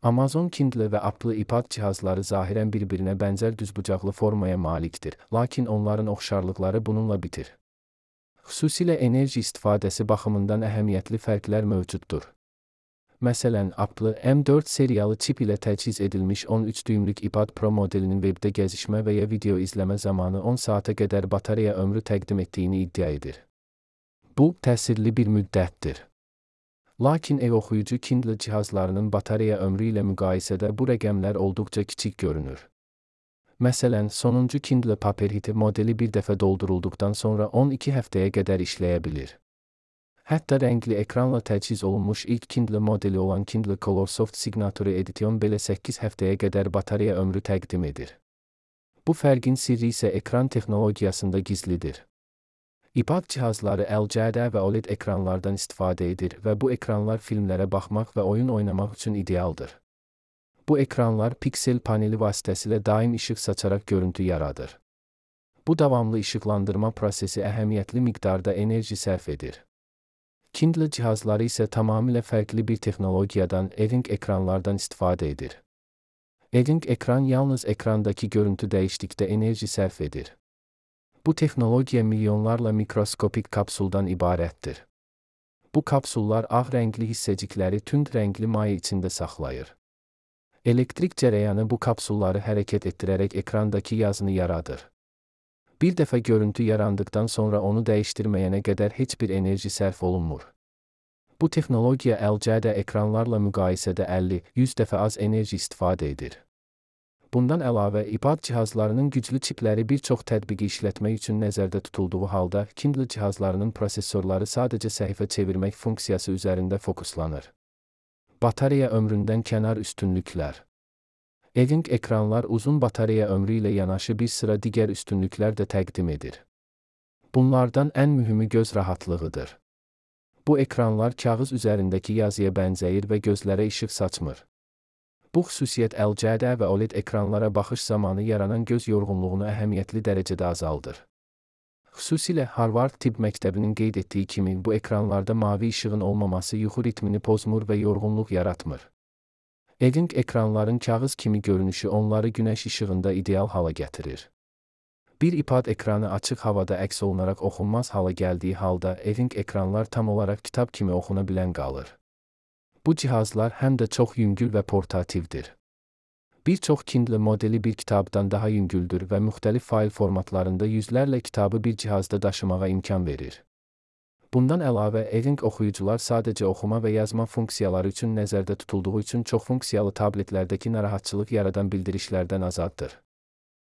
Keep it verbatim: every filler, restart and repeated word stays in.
Amazon Kindle və Apple iPad cihazları zahirən bir-birinə bənzər düzbucaqlı formaya malikdir, lakin onların oxşarlıqları bununla bitir. Xüsusilə enerji istifadəsi baxımından əhəmiyyətli fərqlər mövcuddur. Məsələn, Apple M dörd seriyalı çip ilə təchiz edilmiş on üç düymlük iPad Pro modelinin webdə gəzişmə və ya video izləmə zamanı on saata qədər batareya ömrü təqdim etdiyini iddia edir. Bu, təsirli bir müddətdir. Lakin ev oxuyucu Kindle cihazlarının batareya ömrü ilə müqayisədə bu rəqəmlər olduqca kiçik görünür. Məsələn, sonuncu Kindle Paperwhite modeli bir dəfə doldurulduqdan sonra on iki həftəyə qədər işləyə bilir. Hətta rəngli ekranla təchiz olunmuş ilk Kindle modeli olan Kindle Colorsoft Signature Edition belə səkkiz həftəyə qədər batareya ömrü təqdim edir. Bu fərqin sirri isə ekran texnologiyasında gizlidir. iPad cihazları L C D və O L E D ekranlardan istifadə edir və bu ekranlar filmlərə baxmaq və oyun oynamaq üçün idealdır. Bu ekranlar piksel paneli vasitəsilə daim işıq saçaraq görüntü yaradır. Bu davamlı işıqlandırma prosesi əhəmiyyətli miqdarda enerji sərf edir. Kindle cihazları isə tamamilə fərqli bir texnologiyadan E-Ink ekranlardan istifadə edir. E-Ink ekran yalnız ekrandakı görüntü dəyişdikdə enerji sərf edir. Bu texnologiya milyonlarla mikroskopik kapsuldan ibarətdir. Bu kapsullar ağ rəngli hissəcikləri tünd rəngli maye içində saxlayır. Elektrik cərəyanı bu kapsulları hərəkət etdirərək ekrandakı yazını yaradır. Bir dəfə görüntü yarandıqdan sonra onu dəyişdirməyənə qədər heç bir enerji sərf olunmur. Bu texnologiya L C D ekranlarla müqayisədə əlli yüz dəfə az enerji istifadə edir. Bundan əlavə, iPad cihazlarının güclü çipləri bir çox tətbiqi işlətmək üçün nəzərdə tutulduğu halda, Kindle cihazlarının prosesorları sadəcə səhifə çevirmək funksiyası üzərində fokuslanır. Batareya ömründən kənar üstünlüklər. E-Ink ekranlar uzun batareya ömrü ilə yanaşı bir sıra digər üstünlüklər də təqdim edir. Bunlardan ən mühümü göz rahatlığıdır. Bu ekranlar kağız üzərindəki yazıya bənzəyir və gözlərə işıq saçmır. Bu xüsusiyyət L C D və O L E D ekranlara baxış zamanı yaranan göz yorğunluğunu əhəmiyyətli dərəcədə azaldır. Xüsusilə Harvard Tibb Məktəbinin qeyd etdiyi kimi bu ekranlarda mavi işığın olmaması yuxu ritmini pozmur və yorğunluq yaratmır. E-Ink ekranların kağız kimi görünüşü onları günəş işığında ideal hala gətirir. Bir iPad ekranı açıq havada əks olunaraq oxunmaz hala gəldiyi halda E-Ink ekranlar tam olaraq kitab kimi oxuna bilən qalır. Bu cihazlar həm də çox yüngül və portativdir. Bir çox Kindle modeli bir kitabdan daha yüngüldür və müxtəlif fayl formatlarında yüzlərlə kitabı bir cihazda daşımağa imkan verir. Bundan əlavə, E-Ink oxuyucular sadəcə oxuma və yazma funksiyaları üçün nəzərdə tutulduğu üçün çox funksiyalı tabletlərdəki narahatçılıq yaradan bildirişlərdən azaddır.